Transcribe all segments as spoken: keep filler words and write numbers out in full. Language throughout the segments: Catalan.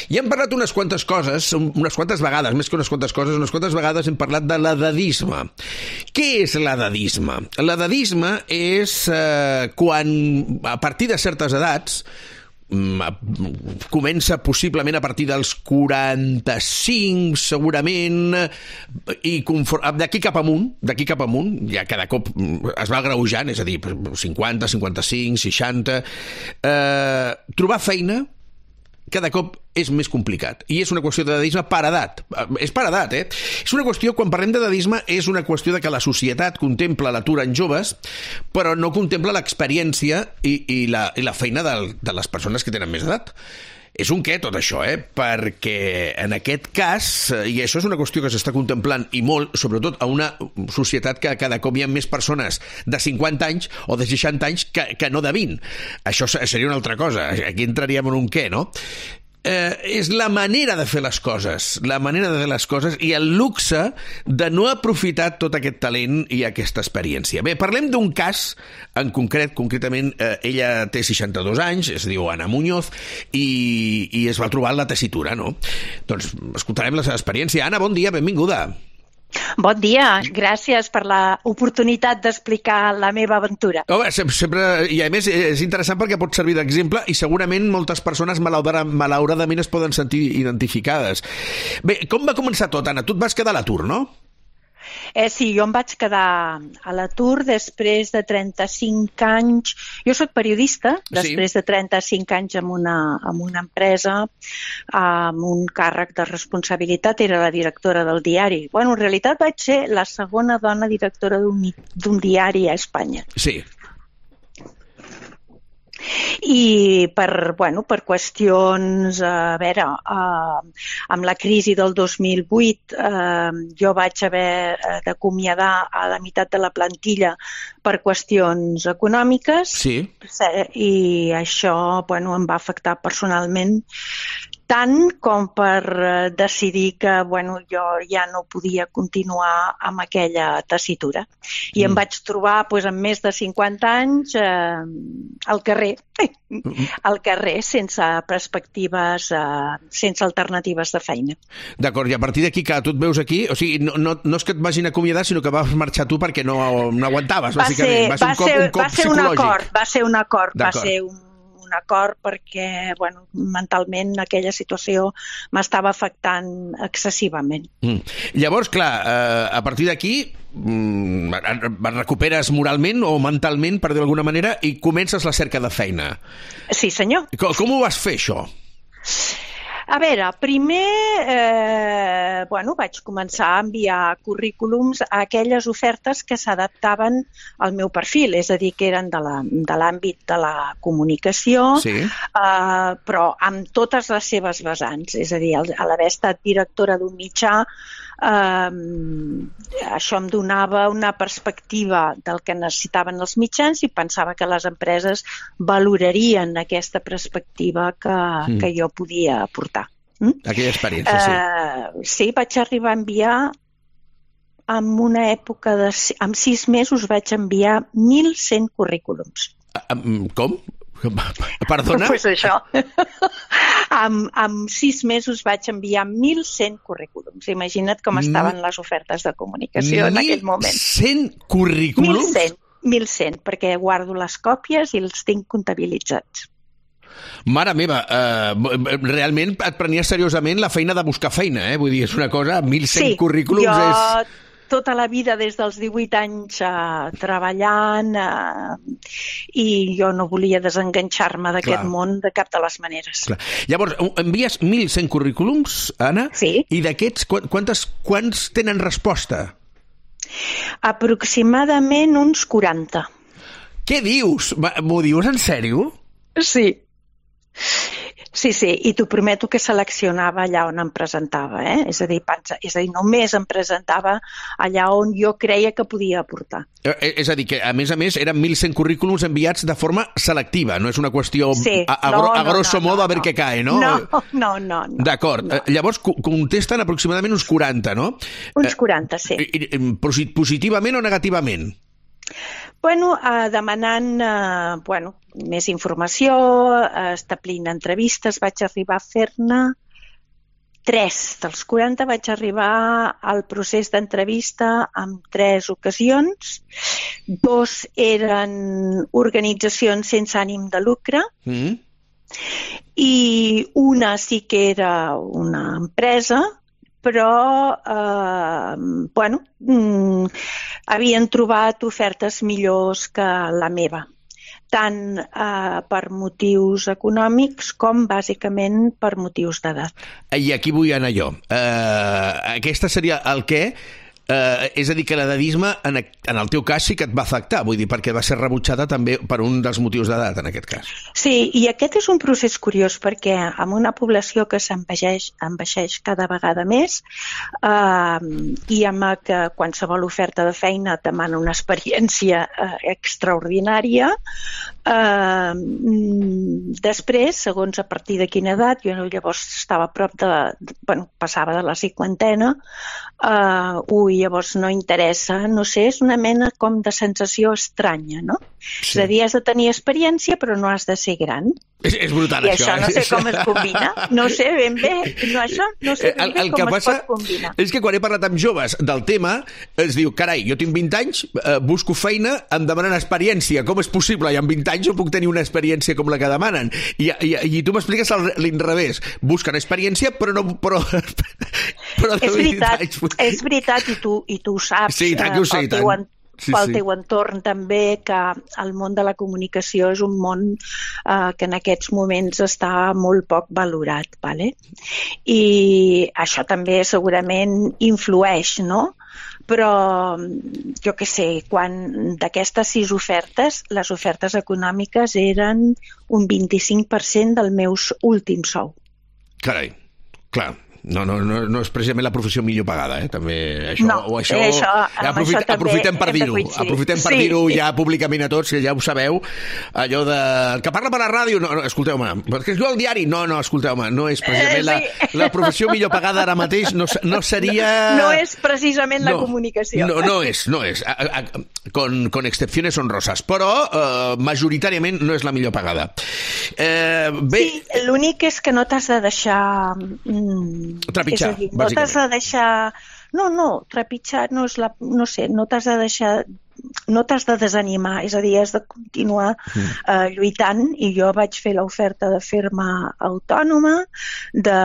I hem parlat unes quantes coses, unes quantes vegades, més que unes quantes coses, unes quantes vegades hem parlat de l'edadisme. Què és l'edadisme? L'edadisme és eh, quan, a partir de certes edats, comença possiblement a partir dels quaranta-cinc segurament, i d'aquí cap amunt d'aquí cap amunt, ja cada cop es va agreujant, és a dir, cinquanta, cinquanta-cinc, seixanta, eh, trobar feina cada cop és més complicat. I és una qüestió d'edadisme per edat. És per edat, eh? És una qüestió, quan parlem d'edadisme, és una qüestió de que la societat contempla l'atur en joves, però no contempla l'experiència i, i, la, i la feina de, de les persones que tenen més edat. És un què, tot això, eh? Perquè en aquest cas, i això és una qüestió que s'està contemplant i molt, sobretot a una societat que cada cop hi ha més persones de cinquanta anys o de seixanta anys que, que no de vint. Això seria una altra cosa. Aquí entraríem en un què, no? Eh, és la manera de fer les coses, la manera de fer les coses i el luxe de no aprofitar tot aquest talent i aquesta experiència. Bé, parlem d'un cas en concret, concretament eh, ella té seixanta-dos anys, es diu Ana Muñoz, i, i es va trobar en la tessitura, no? Doncs escoltarem la seva experiència. Ana, bon dia, benvinguda. Bon dia, gràcies per l'oportunitat d'explicar la meva aventura. Home, sempre, i a més és interessant perquè pot servir d'exemple i segurament moltes persones malauradament es poden sentir identificades. Bé, com va començar tot, Anna? Tu et vas quedar a l'atur, no? Eh, sí, jo em vaig quedar a l'atur després de trenta-cinc anys. Jo soc periodista, després sí. de trenta-cinc anys en una, en una empresa, amb un càrrec de responsabilitat, era la directora del diari. Bueno, en realitat vaig ser la segona dona directora d'un diari a Espanya. Sí. I per, bueno, per qüestions, a veure, eh, amb la crisi del dos mil vuit eh, jo vaig haver d'acomiadar a la meitat de la plantilla per qüestions econòmiques. Sí. I això, bueno, em va afectar personalment tant com per decidir que bueno, jo ja no podia continuar amb aquella tessitura. I mm. em vaig trobar doncs, amb més de cinquanta anys eh, al carrer, mm. al carrer sense perspectives, eh, sense alternatives de feina. D'acord, i a partir d'aquí, que tu et veus aquí, o sigui, no, no, no és que et vagin acomiadar, sinó que vas marxar tu perquè no, no aguantaves, va bàsicament. Ser, va ser un cop, un cop va ser un acord, va ser un acord, va ser un un acord perquè bueno, mentalment aquella situació m'estava afectant excessivament. Mm. Llavors, clar, eh, a partir d'aquí mm, et recuperes moralment o mentalment, per dir d'alguna manera, i comences la cerca de feina. Sí, senyor. Com, com ho vas fer, això? A veure, primer eh, bueno, vaig començar a enviar currículums a aquelles ofertes que s'adaptaven al meu perfil, és a dir, que eren de l'àmbit de, de la comunicació, sí. eh, però amb totes les seves vessants. És a dir, a l'haver estat directora d'un mitjà, eh, això em donava una perspectiva del que necessitaven els mitjans i pensava que les empreses valorarien aquesta perspectiva que, mm. que jo podia aportar. Mm? Aquella experiència, sí. Uh, sí, vaig arribar a enviar, en una època de... En sis mesos vaig enviar mil cent currículums. Uh, com? Perdona? Pues això. amb, amb sis mesos vaig enviar mil cent currículums. Imagina't com estaven les ofertes de comunicació en aquell moment. mil cent currículums? mil cent, mil cent, perquè guardo les còpies i els tinc comptabilitzats. Mare meva, eh, realment et prenies seriosament la feina de buscar feina, eh? Vull dir, és una cosa, mil cent sí, currículums jo... és... tota la vida, des dels divuit anys, eh, treballant eh, i jo no volia desenganxar-me d'aquest món de cap de les maneres. Clar. Llavors, envies mil cent currículums, Anna? Sí. I d'aquests, quantes, quants tenen resposta? Aproximadament uns quaranta. Què dius? M'ho dius en sèrio? Sí. Sí, sí, i t'ho prometo que seleccionava allà on em presentava, eh? És a dir, pensa, és a dir, només em presentava allà on jo creia que podia aportar. Eh, és a dir, que a més a més eren mil cent currículums enviats de forma selectiva, no és una qüestió sí, a, a, no, a grosso no, modo no, a veure no. què cae, no? No, no, no. no D'acord, no. Llavors contesten aproximadament uns quaranta, no? Uns quaranta, sí. Positivament o negativament? Bueno, eh, demanant eh, bueno, més informació, eh, establint entrevistes, vaig arribar a fer-ne tres dels quaranta vaig arribar al procés d'entrevista en tres ocasions. Dos eren organitzacions sense ànim de lucre, mm. i una sí que era una empresa, però eh, bueno, mm, havien trobat ofertes millors que la meva, tant eh, per motius econòmics com bàsicament per motius d'edat. I aquí vull anar jo. Uh, aquesta seria el què? Uh, és a dir, que l'edadisme en, en el teu cas sí que et va afectar, vull dir, perquè va ser rebutjada també per un dels motius d'edat, en aquest cas. Sí, i aquest és un procés curiós, perquè amb una població que s'envelleix envelleix cada vegada més, uh, i amb que qualsevol oferta de feina demana una experiència uh, extraordinària, uh, després, segons a partir de quina edat, jo llavors estava a prop de, bueno, passava de la cinquantena, uh, ui, llavors no interessa, no sé, és una mena com de sensació estranya, no? Sí. És a dir, has de tenir experiència però no has de ser gran. És, és brutal, I això. això no sé com es combina. No sé ben bé, no, això no sé ben bé el, el com que es passa pot combinar. És que quan he parlat amb joves del tema, es diu, carai, jo tinc vint anys, eh, busco feina, em demanen experiència. Com és possible? I amb vint anys no puc tenir una experiència com la que demanen. I, i, i tu m'expliques l'inrevés. Busquen experiència, però no... Però, però és veritat, anys... és veritat, i tu, i tu ho saps. Sí, tant que ho sé, eh, tant. Sí, pel sí. teu entorn també, que el món de la comunicació és un món eh, que en aquests moments està molt poc valorat, vale? I això també segurament influeix, no? Però jo què sé, quan d'aquestes sis ofertes, les ofertes econòmiques eren un vint-i-cinc per cent del meu últim sou. Carai, clar. No, no, no, no és precisament la professió millor pagada, eh? També això, no, o això, eh, això, aprofit, això aprofitem per dir-ho, aprofitem per sí. dir-ho ja públicament a tots, que ja ho sabeu, allò de... que parla per la ràdio, no, no escolteu-me, perquè es diu al diari, no, no, escolteu-me, no és precisament eh, sí. la, la professió millor pagada ara mateix, no, no seria... No, no és precisament no, la comunicació. No, no és, no és, a, a, con, con excepciones honrosas, però eh, majoritàriament no és la millor pagada. Eh, bé... Sí, l'únic és que no t'has de deixar... Mm, trepitjar, és a dir, no t'has de deixar... No, no, trepitjar no és la... No sé, no t'has de deixar... No t'has de desanimar, és a dir, has de continuar mm. eh, lluitant, i jo vaig fer l'oferta de fer-me autònoma, de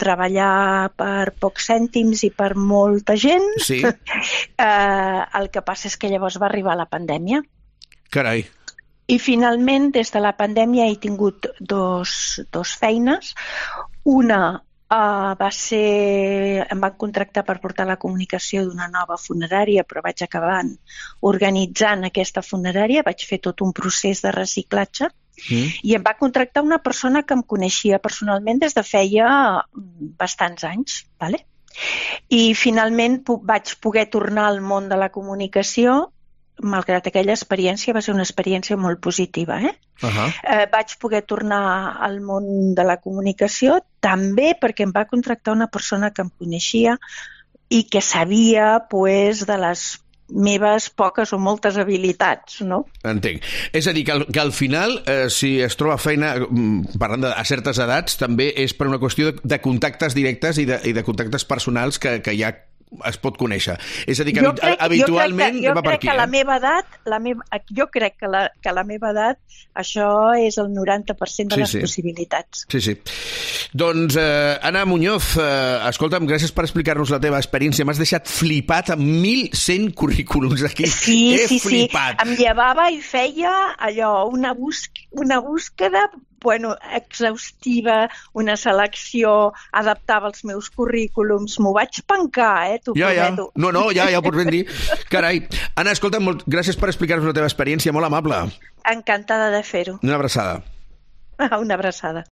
treballar per pocs cèntims i per molta gent. Sí. eh, el que passa és que llavors va arribar la pandèmia. Carai. I finalment, des de la pandèmia, he tingut dos, dos feines. Una Uh, va ser... em van contractar per portar la comunicació d'una nova funerària, però vaig acabar organitzant aquesta funerària, vaig fer tot un procés de reciclatge, mm. i em va contractar una persona que em coneixia personalment des de feia bastants anys, vale? I finalment vaig poder tornar al món de la comunicació, malgrat aquella experiència va ser una experiència molt positiva, eh? Uh-huh. Eh, vaig poder tornar al món de la comunicació també perquè em va contractar una persona que em coneixia i que sabia, pues, de les meves poques o moltes habilitats, no? Entenc. És a dir, que al, que al final, eh, si es troba feina, parlant de, a certes edats, també és per una qüestió de, de contactes directes i de, i de contactes personals que, que ja es pot conèixer. És a dir, que crec, habitualment jo crec que, jo va per crec aquí. Que eh? la meva edat, la meva, jo crec que la, que la meva edat, això és el noranta per cent de sí, les sí. possibilitats. Sí, sí. Doncs, eh, Anna Muñoz, eh, escolta'm, gràcies per explicar-nos la teva experiència. M'has deixat flipat amb mil cent currículums aquí. Sí, He sí, flipat. sí. Em llevava i feia allò, una, busc, una búsqueda bueno, exhaustiva, una selecció, adaptava els meus currículums, m'ho vaig pencar, eh, t'ho ja, prometo. Ja. No, no, ja, ja ho pots ben dir. Carai. Anna, escolta'm, molt, gràcies per explicar-nos la teva experiència, molt amable. Encantada de fer-ho. Una abraçada. Una abraçada.